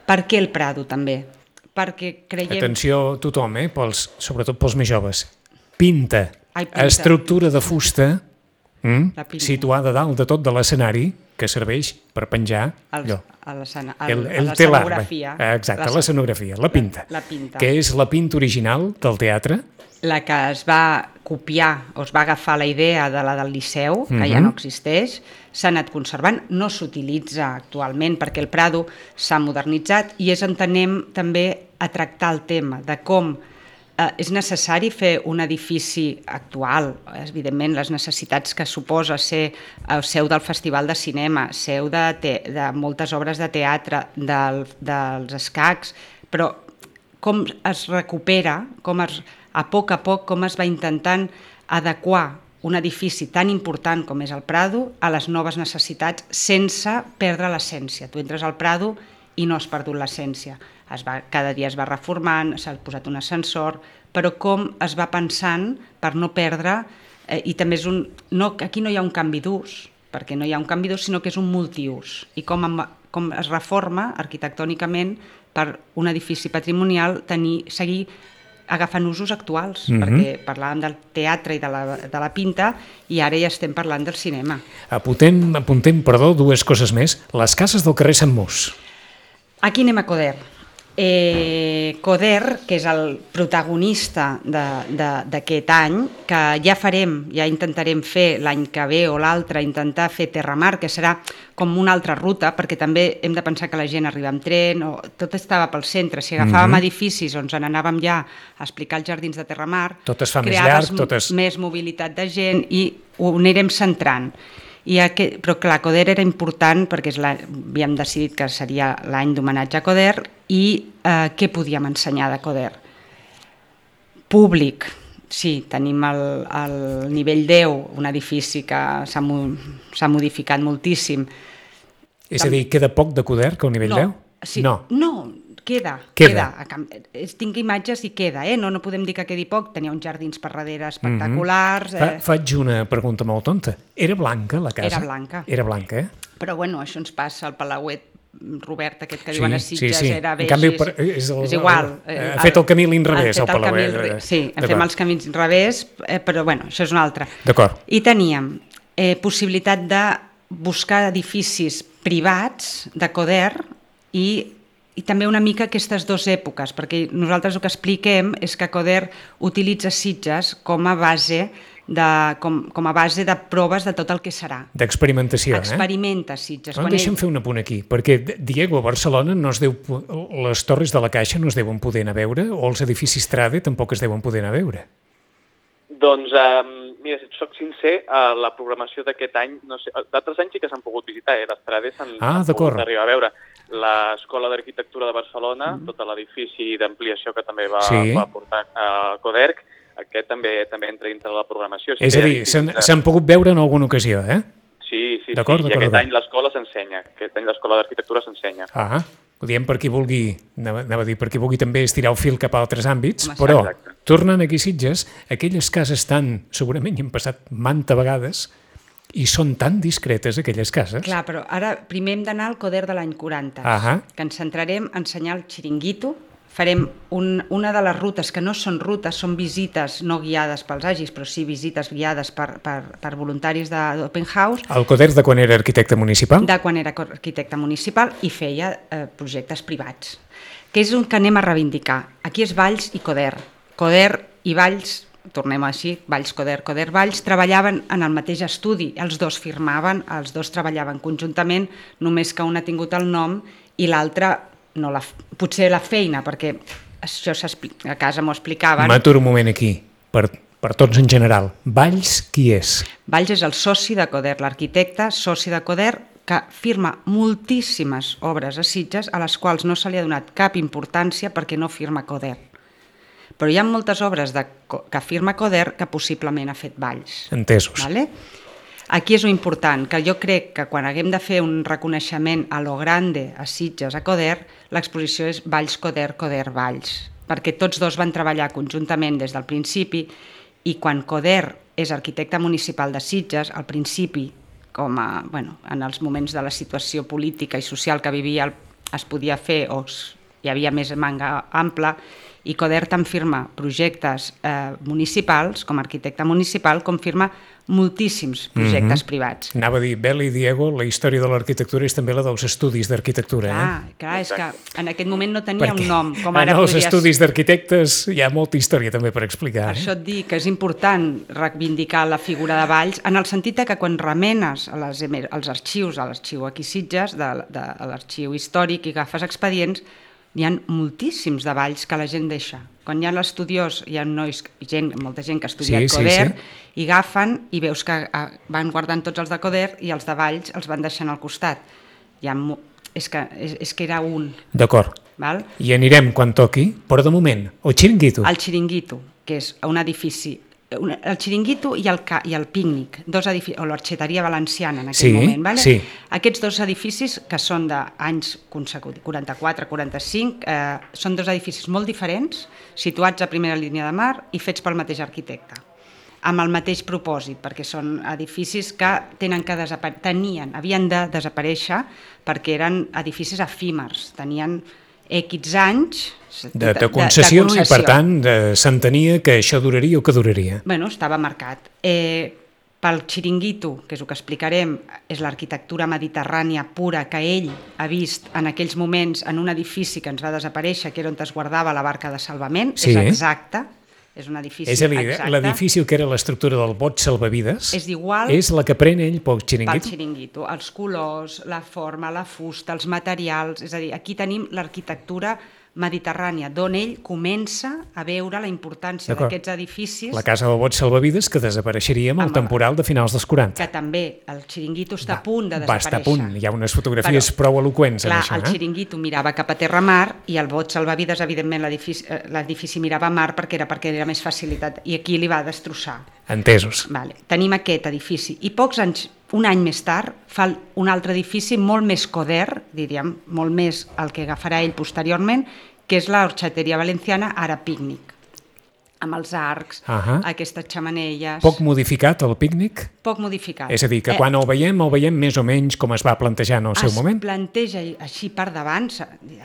per què el Prado també. Perquè creiem... Atenció tothom, eh? Pels, sobretot pels més joves. Pinta, Ai, pinta. Estructura de fusta... Mm? Situada dalt de tot de l'escenari que serveix per penjar el, allò. A l'escenografia. El, el telar, exacte, l'escenografia, la pinta, la, la pinta, que és la pinta original del teatre. La que es va copiar o es va agafar la idea de la del Liceu, que mm-hmm. ja no existeix, s'ha anat conservant, no s'utilitza actualment perquè el Prado s'ha modernitzat i és on anem també a tractar el tema de com Eh, és necessari fer un edifici actual, evidentment les necessitats que suposa ser eh, seu del Festival de Cinema, seu de, te, de moltes obres de teatre, del, dels escacs, però com es recupera, com es, a poc a poc com es va intentant adequar un edifici tan important com és el Prado a les noves necessitats sense perdre l'essència. Tu entres al Prado i no has perdut l'essència. Es va, cada dia es va reformant, s'ha posat un ascensor, però com es va pensant per no perdre, eh, i també és un... No, aquí no hi ha un canvi d'ús, perquè no hi ha un canvi d'ús, sinó que és un multiús. I com, amb, com es reforma arquitectònicament per un edifici patrimonial tenir, seguir agafant usos actuals, mm-hmm. perquè parlàvem del teatre i de la, de la pinta i ara ja estem parlant del cinema. Apuntem, apuntem, perdó, dues coses més. Les cases del carrer Sant Mus. Aquí anem a Coder. Eh, Coder, que és el protagonista d'aquest any, que ja farem, ja intentarem fer l'any que ve o l'altre, intentar fer Terramar, que serà com una altra ruta, perquè també hem de pensar que la gent arriba amb tren, o tot estava pel centre. Si agafàvem mm-hmm. edificis on ens n'anàvem ja a explicar els jardins de Terramar, tot es fa més llarg, tot es... més mobilitat de gent i ho anirem centrant. I aquest, però clar, Coder era important perquè és la, havíem decidit que seria l'any d'homenatge a Coder i eh, què podíem ensenyar de Coder? Públic, sí, tenim el, el nivell deu, un edifici que s'ha s'ha modificat moltíssim. És a dir, queda poc de Coder que el nivell no, deu? Sí, no, no. Queda, queda. queda. Tinc imatges i queda, eh? no, no podem dir que quedi poc. Tenia uns jardins per darrere espectaculars. Mm-hmm. Fa, faig una pregunta molt tonta. Era blanca la casa? Era blanca. Era blanca, eh? Però bueno, això ens passa al Palauet Robert, aquest que sí, diuen a Sitges, sí, sí. era En canvi, per, és, el, és igual. El, el, ha fet el camí a l'inrevés, el Palauet. El, sí, fem els camins revés, eh, però bueno, això és un altre. D'acord. I teníem eh, possibilitat de buscar edificis privats de Coder i i també una mica aquestes dues èpoques, perquè nosaltres el que expliquem és que Coder utilitza Sitges com a base de, com, com a base de proves de tot el que serà. D'experimentació, eh? Experimenta Sitges. No, deixa'm ell... fer un apunt aquí, perquè, Diego, a Barcelona no es deu, les torres de la Caixa no es deuen poder anar a veure, o els edificis Trade tampoc es deuen poder anar a veure. Doncs, eh, mira, si et soc sincer, eh, la programació d'aquest any, no sé, d'altres anys sí que s'han pogut visitar, eh? Les Trades s'han ah, pogut arribar a veure. L'Escola d'Arquitectura de Barcelona, mm. tot l'edifici d'ampliació que també va, sí. va portar a Coderc, aquest també també entra dintre de la programació. Sí, és a dir, s'han de... pogut veure en alguna ocasió, eh? Sí, sí, sí. I aquest any l'escola s'ensenya, aquest any l'Escola d'Arquitectura s'ensenya. Ah, ho diem per qui vulgui, anava, anava a dir, per qui vulgui també estirar el fil cap a altres àmbits, Home, però, exacte. Tornant aquí a Sitges, aquelles cases tan, segurament hi han passat manta vegades, i són tan discretes, aquelles cases. Clar, però ara primer hem d'anar al Coder de l'any quaranta, uh-huh. que ens centrarem a ensenyar el xiringuito. Farem un, una de les rutes, que no són rutes, són visites no guiades pels agis, però sí visites guiades per, per, per voluntaris d'Open House. El Coder de quan era arquitecte municipal? De quan era arquitecte municipal i feia eh, projectes privats, que és un que anem a reivindicar. Aquí és Valls i Coder. Coder i Valls, tornem així, Valls, Coder, Coder, Valls, treballaven en el mateix estudi, els dos firmaven, els dos treballaven conjuntament, només que un ha tingut el nom i l'altre no la, potser la feina, perquè això a casa m'ho explicaven. M'aturo un moment aquí, per, per tots en general. Valls, qui és? Valls és el soci de Coder, l'arquitecte, soci de Coder, que firma moltíssimes obres a Sitges a les quals no se li ha donat cap importància perquè no firma Coder. Però hi ha moltes obres de, que firma Coder que possiblement ha fet Valls. Entesos. Vale? Aquí és important, que jo crec que quan haguem de fer un reconeixement a lo grande a Sitges, a Coder, l'exposició és Valls, Coder, Coder, Valls, perquè tots dos van treballar conjuntament des del principi i quan Coder és arquitecte municipal de Sitges, al principi, com a, bueno, en els moments de la situació política i social que vivia, es podia fer o hi havia més manga ampla, i Coder tant firma projectes eh, municipals, com a arquitecte municipal, com firma moltíssims projectes mm-hmm. privats. Anava a dir, Bel i Diego, la història de l'arquitectura és també la dels estudis d'arquitectura. Clar, eh? clar, és que en aquest moment no tenia Perquè un nom. Com ara en els podries... estudis d'arquitectes hi ha molta història també per explicar. Per eh? això et dic que és important reivindicar la figura de Valls, en el sentit que quan remenes a les, als arxius, a l'arxiu aquí Sitges, de, de, a l'arxiu històric i agafes expedients, hi ha moltíssims de Valls que la gent deixa. Quan hi ha l'estudiós, hi ha nois, gent, molta gent que ha estudiat sí, Coder, sí, sí. i agafen i veus que van guardant tots els de Coder i els de Valls els van deixant al costat. Hi ha, és, que, és, és que era un. D'acord. Val? I anirem quan toqui, però de moment, el xiringuito. El xiringuito, que és un edifici el xiringuito i el, ca, i el pícnic, dos edificis, o l'Orxeteria Valenciana en aquell sí, moment. Vale? Sí. Aquests dos edificis, que són d'anys consecutius, quaranta-quatre quaranta-cinc, eh, són dos edificis molt diferents, situats a primera línia de mar i fets pel mateix arquitecte, amb el mateix propòsit, perquè són edificis que tenen que desapare... tenien, havien de desaparèixer perquè eren edificis efímers, tenien X anys de, de, concessió, de, de concessió i per tant s'entenia que això duraria o que duraria. Bueno, estava marcat. Eh, pel xiringuito, que és el que explicarem, és l'arquitectura mediterrània pura que ell ha vist en aquells moments en un edifici que ens va desaparèixer, que era on es guardava la barca de salvament, sí. És exacte. És un edifici és a dir, exacte. L'edifici que era l'estructura del bot salvavides és, igual, és la que pren ell pel xiringuito? Pel xiringuito. Els colors, la forma, la fusta, els materials... És a dir, aquí tenim l'arquitectura mediterrània, d'on ell comença a veure la importància d'aquests edificis... La casa del bot salvavides que desapareixeria amb el temporal de finals dels quaranta. Que també el xiringuito està a punt de desaparèixer. Va estar a punt, hi ha unes fotografies Però, prou eloqüents clar, en això. El eh? xiringuito mirava cap a terra mar i el bot salvavides, evidentment, l'edifici mirava a mar perquè era perquè era més facilitat i aquí li va destrossar. Entesos. Vale. Tenim aquest edifici i pocs anys, un any més tard, fa un altre edifici molt més coder, diríem, molt més el que agafarà ell posteriorment, que és l'Orxeteria Valenciana, ara pícnic, amb els arcs, uh-huh. aquestes xamanelles... Poc modificat el pícnic? Poc modificat. És a dir, que quan eh, el veiem, el veiem més o menys com es va plantejar en el seu moment? Es planteja així per davant,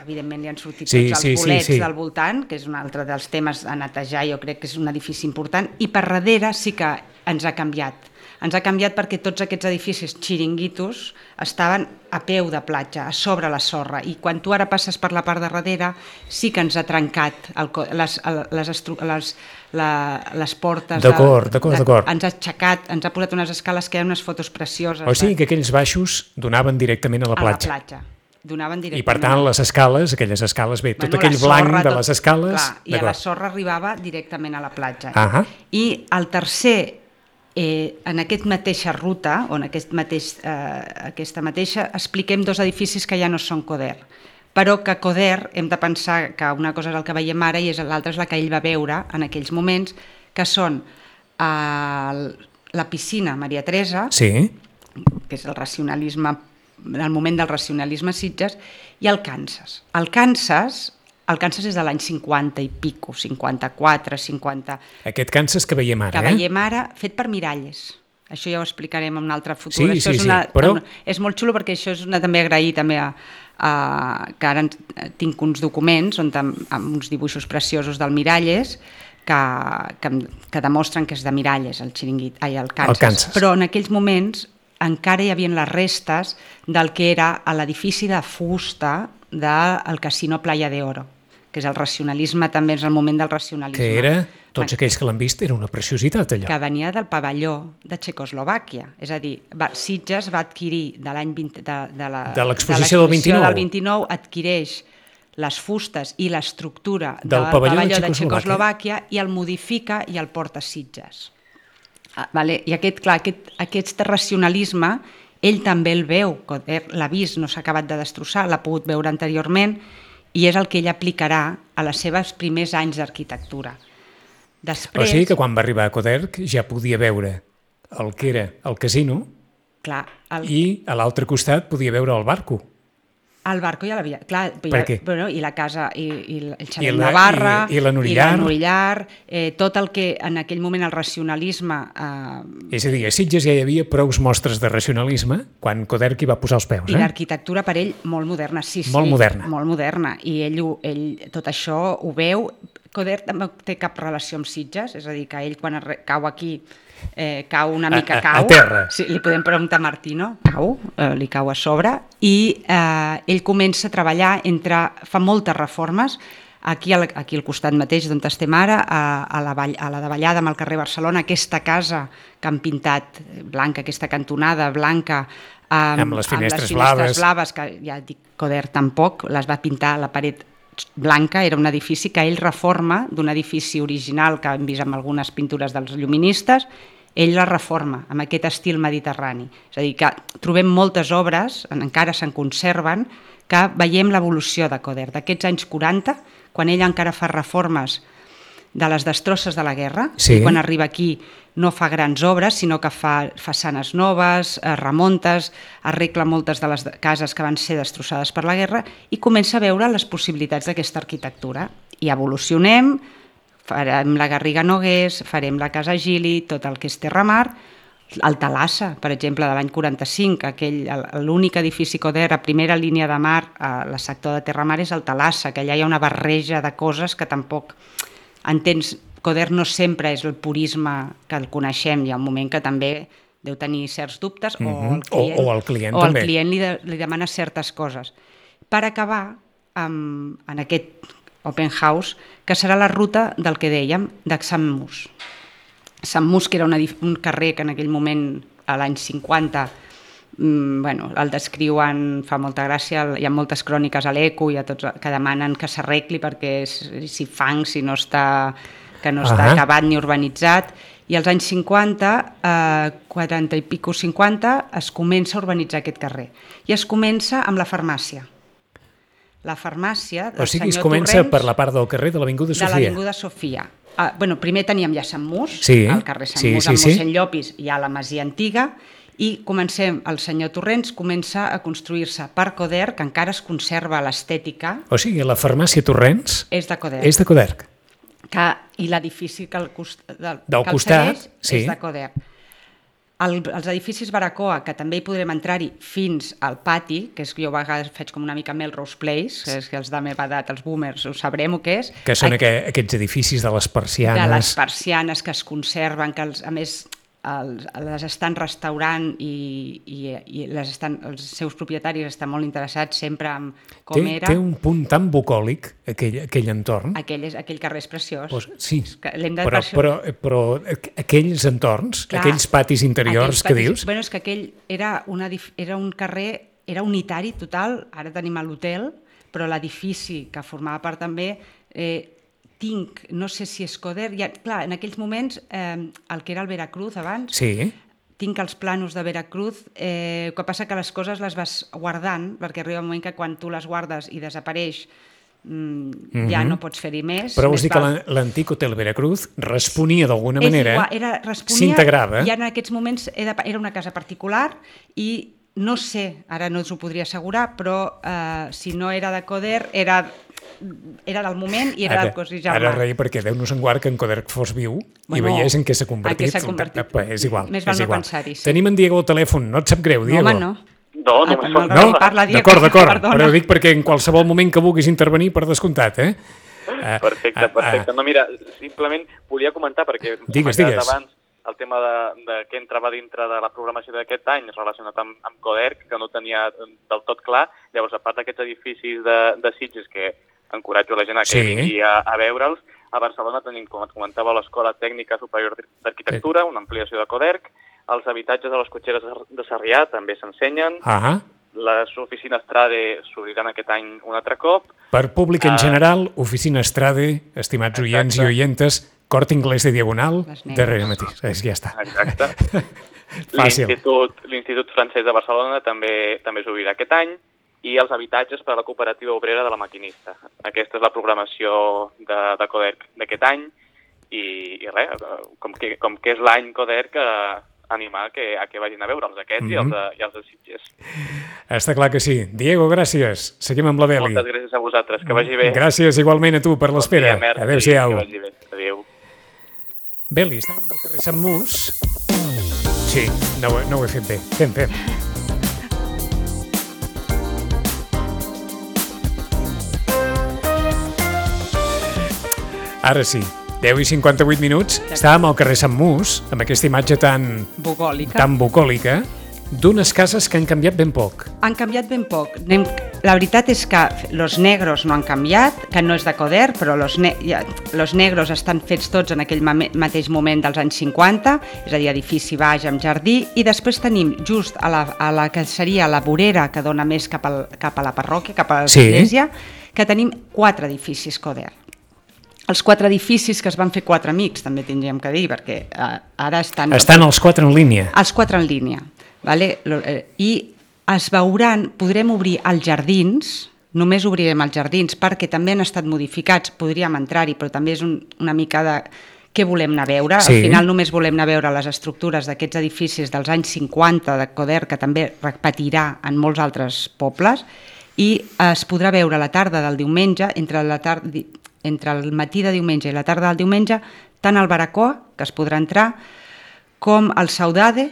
evidentment li han sortit sí, tots els sí, bolets sí, sí. del voltant, que és un altre dels temes a netejar, jo crec que és un edifici important, i per darrere sí que ens ha canviat. Ens ha canviat perquè tots aquests edificis xiringuitos estaven a peu de platja, a sobre la sorra, i quan tu ara passes per la part de darrere sí que ens ha trencat el, les, les, les, la, les portes... D'acord, d'acord, d'acord. Ens ha aixecat, ens ha posat unes escales que hi ha unes fotos precioses. O sigui que aquells baixos donaven directament a la platja. A la platja. Donaven directament. I per tant les escales, aquelles escales, bé, bueno, tot aquell sorra, blanc de tot, les escales... Clar, i a la sorra arribava directament a la platja. Uh-huh. I el tercer... Eh, en aquesta mateixa ruta, o en aquest mateix, eh, aquesta mateixa, expliquem dos edificis que ja no són Coder, però que Coder hem de pensar que una cosa és el que veiem ara i l'altra és la que ell va veure en aquells moments, que són eh, la piscina Maria Teresa, sí. que és el racionalisme, el moment del racionalisme a Sitges, i el Kansas. El Kansas... El Kansas és de l'any cinquanta i pico, cinquanta-quatre, cinquanta... Aquest Kansas que veiem ara, que eh? Que veiem ara, fet per miralles. Això ja ho explicarem en un altre futur. Sí, això sí, és una, sí, però... una, és molt xulo perquè això és una, també agrair també a, a, que ara tinc uns documents on, amb, amb uns dibuixos preciosos del Miralles que, que, que demostren que és de Miralles, el xiringuit, ai, el Kansas. el Kansas. Però en aquells moments encara hi havia les restes del que era l'edifici de fusta del Casino Playa de Oro, que és el racionalisme, també és el moment del racionalisme. Que era, tots aquells que l'han vist, era una preciositat allò. Que venia del pavelló de Txecoslovàquia. És a dir, va, Sitges va adquirir de l'any vint, de, de la, de l'exposició del vint-i-nou. del vint-i-nou, adquireix les fustes i l'estructura del, del pavelló, pavelló de, de Txecoslovàquia i el modifica i el porta a Sitges. Ah, vale? I aquest, clar, aquest, aquest racionalisme, ell també el veu, l'ha vist, no s'ha acabat de destrossar, l'ha pogut veure anteriorment, i és el que ell aplicarà a les seves primers anys d'arquitectura. Després... O sigui que quan va arribar a Coderch ja podia veure el que era el casino. Clar, el... I a l'altre costat podia veure el barco. El barco ja l'havia... Clar, per què? Bueno, i la casa, i, i el Xavier I la, Navarra, i, i la Norillar, i la Norillar eh, tot el que en aquell moment el racionalisme... Eh, és a dir, a Sitges ja hi havia prous mostres de racionalisme quan Coderch hi va posar els peus. I eh? l'arquitectura per ell molt moderna, sí, sí. Molt moderna. Molt moderna, i ell, ell tot això ho veu. Coderch també no té cap relació amb Sitges, és a dir, que ell quan cau aquí... Eh, cau una mica, a, a, cau. A terra. Sí, li podem preguntar a Martino, cau, eh, li cau a sobre, i eh, ell comença a treballar entre... fa moltes reformes, aquí al, aquí al costat mateix d'on estem ara, a, a, la vall, a la davallada amb el carrer Barcelona, aquesta casa que han pintat blanca, aquesta cantonada blanca, amb, amb les finestres, amb les finestres blaves. blaves, que ja dic, Coderch tampoc, les va pintar a la paret blanca, era un edifici que ell reforma d'un edifici original que hem vist amb algunes pintures dels lluministes, ell la reforma amb aquest estil mediterrani. És a dir, que trobem moltes obres, encara se'n conserven, que veiem l'evolució de Coderch, d'aquests anys quaranta, quan ell encara fa reformes de les destrosses de la guerra, sí. i quan arriba aquí no fa grans obres, sinó que fa façanes noves, remontes, arregla moltes de les cases que van ser destrossades per la guerra i comença a veure les possibilitats d'aquesta arquitectura. I evolucionem, farem la Garriga Nogués, farem la Casa Gili, tot el que és Terramar, el Talassa, per exemple, de l'any quaranta-cinc, aquell, l'únic edifici Coder a primera línia de mar al sector de Terramar és el Talassa, que allà hi ha una barreja de coses que tampoc entens. Coder no sempre és el purisme que el coneixem, hi ha un moment que també deu tenir certs dubtes, mm-hmm. o el client, o, o el client, o el també. client li, de, li demana certes coses. Per acabar amb, en aquest open house, que serà la ruta del que dèiem, de Sant Mus. Sant Mus, que era una, un carrer que en aquell moment, a l'any cinquanta, mm, bueno, el descriuen, fa molta gràcia, hi ha moltes cròniques a l'Eco i a tots que demanen que s'arregli perquè si fang, si no està, que no està uh-huh. acabat ni urbanitzat, i als anys cinquanta, eh, quaranta i pico cinquanta, es comença a urbanitzar aquest carrer. I es comença amb la farmàcia. La farmàcia del senyor Torrents... O sigui, es comença Torrents, per la part del carrer de l'Avinguda Sofia. De l'Avinguda Sofia. Uh, bueno, primer teníem ja Sant Mus, sí, al carrer Sant sí, Mus, sí, amb sí. mossèn Llopis, hi ha la masia antiga, i comencem, el senyor Torrents comença a construir-se per Coder, que encara es conserva l'estètica. O sigui, la farmàcia Torrents és de Coder. És de Coder. Que, i l'edifici que el, cost, del, del que el costat segueix sí. és de Coder. El, els edificis Baracoa, que també hi podrem entrar-hi fins al pati, que és que jo a vegades faig com una mica Melrose Place, que és que els de meva edat, els boomers, ho sabrem o què és. Que són aqu aquests edificis de les persianes. De les persianes que es conserven, que els, a més els, les estan restaurant i, i, i les estan, els seus propietaris estan molt interessats sempre en com té, era. Té un punt tan bucòlic, aquell, aquell entorn. Aquell, és, aquell carrer és preciós. Pues, sí, de però, però, però aquells entorns, clar, aquells patis interiors aquells que patis, dius... Bueno, és que aquell era, una, era un carrer, era unitari total, ara tenim l'hotel, però l'edifici que formava part també... Eh, tinc, no sé si és Coder, ja, clar, en aquells moments, eh, el que era el Veracruz abans, sí. tinc els planos de Veracruz, eh, el que passa que les coses les vas guardant, perquè arriba un moment que quan tu les guardes i desapareix, mm, mm-hmm. ja no pots fer-hi més. Però vols més dir val... que l'antic Hotel Veracruz responia d'alguna manera, s'integrava. Ja en aquests moments era, era una casa particular i no sé, ara no us ho podria assegurar, però eh, si no era de Coder, era... era del moment i era ara, del cos i germà. Ara rei perquè Déu nos en guard que en Coder fos viu bueno, i veiés en què s'ha convertit. convertit. És igual. Més val és no igual. pensar-hi. Sí. Tenim en Diego al telèfon, no et sap greu, Diego? No, home, no. No, no, ah, no. no? Parla, Diego. D'acord, d'acord, però dic perquè en qualsevol moment que vulguis intervenir, per descomptat, eh? Perfecte, perfecte. No, mira, simplement volia comentar, perquè digues, digues. abans el tema de, de què entrava dintre de la programació d'aquest any relacionat amb, amb Coder, que no tenia del tot clar. Llavors, a part d'aquests edificis de, de Sitges, que encoratjo la gent a que sí. vingui a, a veure'ls, a Barcelona tenim, com et comentava, l'Escola Tècnica Superior d'Arquitectura, una ampliació de Coderc, els habitatges de les cotxeres de Sarrià també s'ensenyen, ah. les oficines Trade s'obriran aquest any un altre cop. Per públic en uh, general, oficina Trade, estimats exacte. Oients i oientes, Corte Inglés de Diagonal, darrere mateix, ja està. Exacte. Fàcil. L'Institut Francès de Barcelona també, també s'obrirà aquest any, i els habitatges per a la cooperativa obrera de la Maquinista. Aquesta és la programació de, de Coderc d'aquest any i, i res, com que, com que és l'any Coderc, eh, animar que, a que vagin a veure'ls aquests mm-hmm. i, els de, i els de Sitges. Està clar que sí. Diego, gràcies. Seguim amb la Beli. Moltes gràcies a vosaltres, que vagi bé. Gràcies igualment a tu per l'espera. Bon dia, adéu-siau. Que vagi bé. Adéu. Beli, estàvem al carrer Sant Mus. Sí, no, no ho he fet bé. Fem, fem. Ara sí, deu i cinquanta-vuit minuts, estàvem al carrer Sant Mus, amb aquesta imatge tan bucòlica, tan bucòlica d'unes cases que han canviat ben poc. Han canviat ben poc. La veritat és que los negros no han canviat, que no és de Coder, però los, ne los negros estan fets tots en aquell mateix moment dels anys cinquanta, és a dir, edifici baix amb jardí, i després tenim just a la, a la que seria la vorera que dona més cap, al, cap a la parròquia, cap a l'església, sí. que tenim quatre edificis Coder. Els quatre edificis que es van fer quatre amics, també tindríem que dir, perquè eh, ara estan... Estan els quatre en línia. Els quatre en línia, vale? I es veuran, podrem obrir els jardins, només obrirem els jardins perquè també han estat modificats, podríem entrar-hi, però també és un, una mica de què volem anar a veure. Sí. Al final només volem anar a veure les estructures d'aquests edificis dels anys cinquanta de Coder, que també repetirà en molts altres pobles, i es podrà veure a la tarda del diumenge, entre, la tarda, entre el matí de diumenge i la tarda del diumenge, tant el Baracoa, que es podrà entrar, com el Saudade,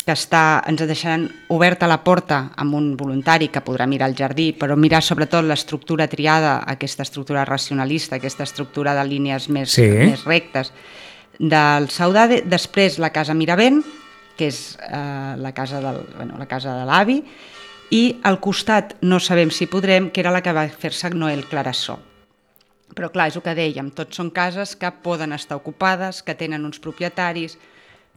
que està, ens deixaran oberta la porta amb un voluntari que podrà mirar el jardí, però mirar sobretot l'estructura triada, aquesta estructura racionalista, aquesta estructura de línies més, sí. més rectes del Saudade. Després la Casa Miravent, que és eh, la casa del, bueno, la casa de l'avi, i al costat no sabem si podrem, que era la que va fer-se Noel Clarasó. Però clar, és el que dèiem, tots són cases que poden estar ocupades, que tenen uns propietaris,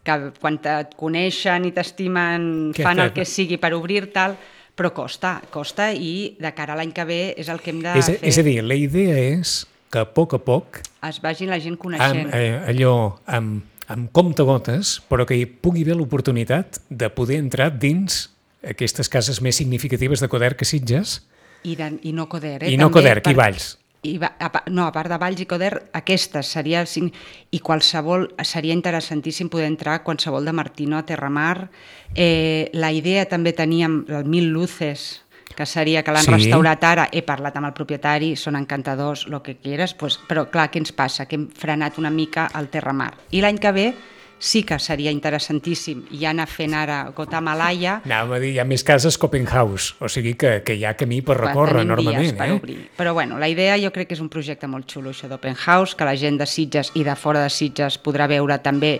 que quan et coneixen i t'estimen fan el que sigui per obrir tal, però costa, costa i de cara a l'any que ve és el que hem de és, fer. És a dir, la idea és que a poc a poc es vagi la gent coneixent. Amb, eh, allò, amb, amb comptagotes, però que hi pugui haver l'oportunitat de poder entrar dins aquestes cases més significatives de Coder que Sitges. I, de, i no Coder, eh? I no també Coder, per... i Valls. I va, a, no, a part de Valls i Coder, aquestes seria i qualsevol, seria interessantíssim poder entrar qualsevol de Martino a Terramar. Eh, la idea també teníem el Mil Luces, que seria que l'han sí. restaurat ara, he parlat amb el propietari, són encantadors, el que quieres, pues, però clar, què ens passa? Que hem frenat una mica el Terramar. I l'any que ve sí que seria interessantíssim i anar fent ara Gota-Malaya. Anàvem a dir, hi ha més cases que Open House, o sigui que, que hi ha camí per recórrer enormement. Per eh? obrir. Però bueno, la idea jo crec que és un projecte molt xulo, això d'Open House, que la gent de Sitges i de fora de Sitges podrà veure també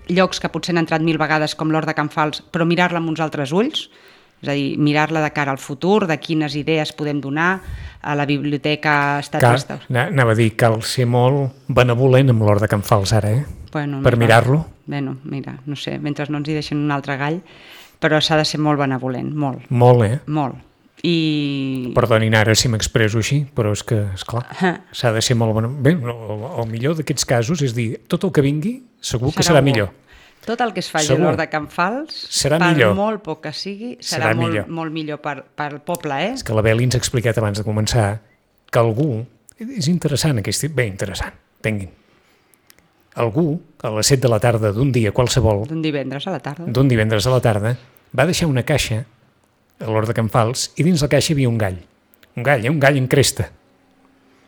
llocs que potser han entrat mil vegades com l'Hort de Can Fals, però mirar-la amb uns altres ulls, és a dir, mirar-la de cara al futur, de quines idees podem donar a la biblioteca Estat Cal, anava a dir, cal ser molt benevolent amb l'Hort de Can Fals ara, eh? Bueno, per mirar-lo. Bueno, mira, no sé, mentre no ens hi deixen un altre gall, però s'ha de ser molt benevolent, molt. Molt, eh? Molt. I... Perdonin ara si m'expresso així, però és que, esclar, s'ha de ser molt benevolent. Bé, el, el millor d'aquests casos és dir, tot el que vingui segur que serà, serà millor. Tot el que es faci a l'Hort de Can Fals, serà per millor. molt poc que sigui, serà, serà molt, millor. molt millor per, per el poble, eh? És que la Beli ens ha explicat abans de començar que algú, és interessant aquest, bé, interessant, tinguin, algú a les set de la tarda d'un dia qualsevol, d'un divendres a la tarda, d'un divendres a la tarda, va deixar una caixa a l'Hort de Can Fals i dins la caixa hi havia un gall, un gall, eh? un gall en cresta.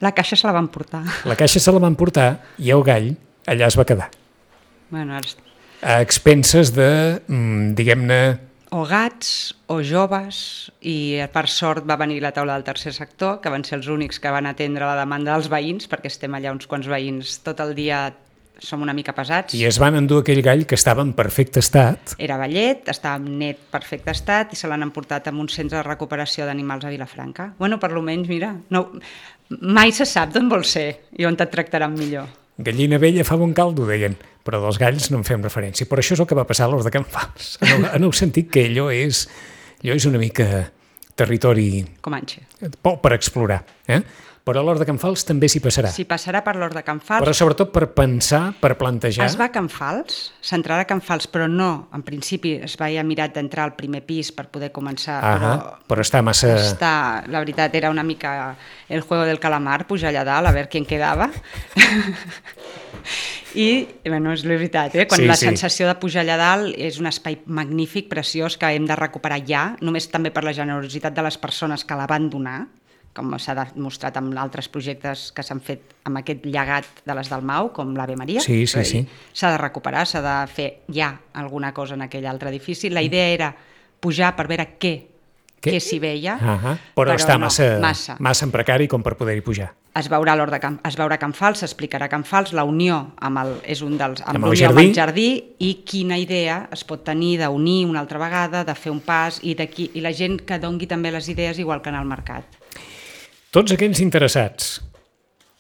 La caixa se la van portar. La caixa se la van portar i el gall allà es va quedar. Bueno, ara... A expenses de, diguem-ne... O gats, o joves, i per sort va venir la taula del tercer sector, que van ser els únics que van atendre la demanda dels veïns, perquè estem allà uns quants veïns tot el dia, som una mica pesats. I es van endur aquell gall que estava en perfecte estat. Era vellet, estava en net perfecte estat, i se l'han emportat a un centre de recuperació d'animals a Vilafranca. Bueno, per lo menys, mira, no, mai se sap d'on vol ser i on et tractaran millor. Gallina vella fa bon caldo, deien, però dels galls no en fem referència. Però això és el que va passar a l'Hort de Can Fals, en el, en el sentit que allò és, allò és una mica territori... Comanxe. Per explorar, eh? Però a l'Hort de Can Fals també s'hi passarà. S'hi passarà per l'Hort de Can Fals. Però sobretot per pensar, per plantejar... Es va a Can Fals, s'entrarà a Can Fals, però no, en principi es va mirat d'entrar al primer pis per poder començar, ah, però... Però està massa... Està, la veritat, era una mica el juego del calamar, pujar allà dalt, a veure qui en quedava. I, bueno, és la veritat, eh? Quan sí, la sí. sensació de pujar allà dalt és un espai magnífic, preciós, que hem de recuperar ja, només també per la generositat de les persones que la van donar, com s'ha demostrat amb altres projectes que s'han fet amb aquest llegat de les Dalmau, com l'Ave Maria. Sí, sí, sí. S'ha de recuperar, s'ha de fer ja alguna cosa en aquell altre edifici. La idea era pujar per veure què, què? què s'hi veia, uh -huh. però, però està no, massa, massa. massa en precari com per poder-hi pujar. Es veurà l'Hort de Can, es veurà Can Fals, s'explicarà Can Fals, la unió amb el, és un dels, amb, amb, el amb el jardí i quina idea es pot tenir d'unir una altra vegada, de fer un pas i, i la gent que dongui també les idees igual que en el mercat. Tots aquells interessats,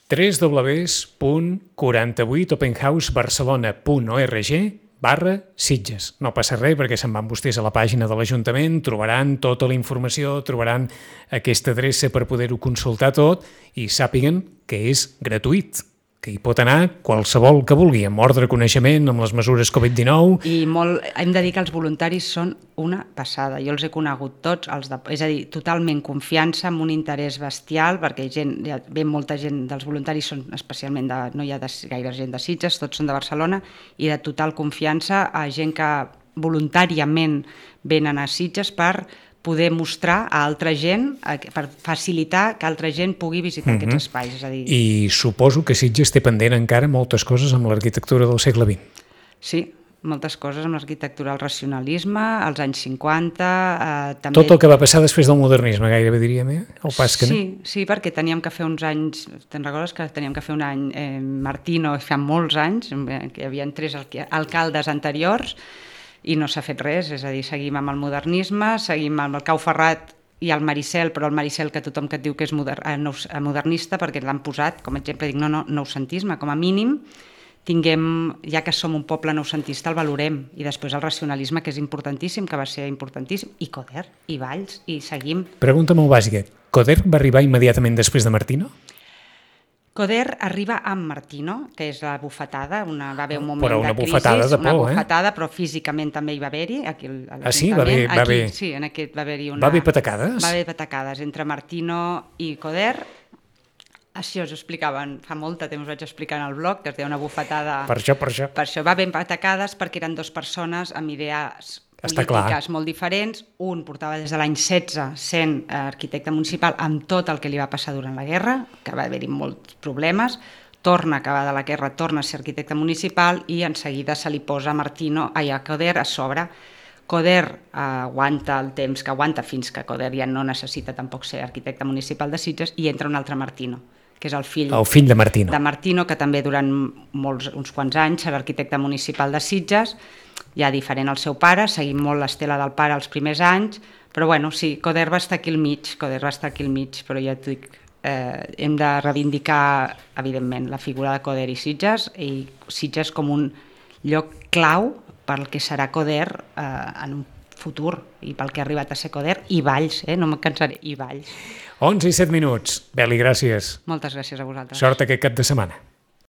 w w w punt quaranta vuit openhousebarcelona punt org barra Sitges. No passa res perquè se'n van vostès a la pàgina de l'Ajuntament, trobaran tota la informació, trobaran aquesta adreça per poder-ho consultar tot i sàpiguen que és gratuït. que hi pot anar qualsevol que vulgui, amb ordre, coneixement, amb les mesures covid dinou... I molt, hem de dir que els voluntaris són una passada. Jo els he conegut tots, els de, és a dir, totalment confiança, amb un interès bestial, perquè gent, ja ve molta gent dels voluntaris, són especialment de, no hi ha de, gaire gent de Sitges, tots són de Barcelona, i de total confiança a gent que voluntàriament venen a Sitges per poder mostrar a altra gent, per facilitar que altra gent pugui visitar uh-huh. aquests espais. És a dir... I suposo que Sitges té pendent encara moltes coses amb l'arquitectura del segle vint. Sí, moltes coses amb l'arquitectura, el racionalisme, als anys cinquanta... Eh, també... Tot el que va passar després del modernisme, gairebé diríem, eh? El pas que sí, sí, perquè teníem que fer uns anys... Te'n recordes que teníem que fer un any eh, Martino, fa molts anys, que hi havia tres alcaldes anteriors, i no s'ha fet res, és a dir, seguim amb el modernisme, seguim amb el Cau Ferrat i el Maricel, però el Maricel que tothom que et diu que és moder, eh, modernista, perquè l'han posat, com a exemple, dic, no, no, noucentisme, com a mínim, tinguem, ja que som un poble noucentista, el valorem, i després el racionalisme, que és importantíssim, que va ser importantíssim, i Coder, i Valls, i seguim. Pregunta molt bàsica, Coder va arribar immediatament després de Martino? Coder arriba amb Martino, que és la bufetada, una, va haver un moment però una de crisi, bufetada de por, una eh? bufetada, però físicament també hi va haver-hi. Aquí, a ah, sí? Va haver, va haver... Aquí, sí, en aquest va haver-hi una... Va haver patacades? Va haver patacades entre Martino i Coder. Així us explicaven, fa molt de temps vaig explicar en el blog, que es deia una bufetada... Per això, per això. Per això va haver patacades perquè eren dues persones amb idees Està polítiques clar. molt diferents. Un portava des de l'any setze sent arquitecte municipal amb tot el que li va passar durant la guerra, que va haver-hi molts problemes, torna a acabar de la guerra, torna a ser arquitecte municipal i en seguida se li posa Martino, ai, a Coder a sobre. Coder eh, aguanta el temps que aguanta fins que Coder ja no necessita tampoc ser arquitecte municipal de Sitges i entra un altre Martino, que és el fill, el fill de Martino. de Martino, que també durant molts, uns quants anys serà arquitecte municipal de Sitges, ja diferent al seu pare, seguim molt l'estela del pare els primers anys, però bueno, sí, Coder va estar aquí al mig, Coder va estar aquí al mig, però ja t'ho dic, eh, hem de reivindicar, evidentment, la figura de Coder i Sitges, i Sitges com un lloc clau pel que serà Coder eh, en un futur, i pel que ha arribat a ser Coder, i Valls, eh, no me'n cansaré, i Valls. onze i set minuts. Beli, gràcies. Moltes gràcies a vosaltres. Sort aquest cap de setmana.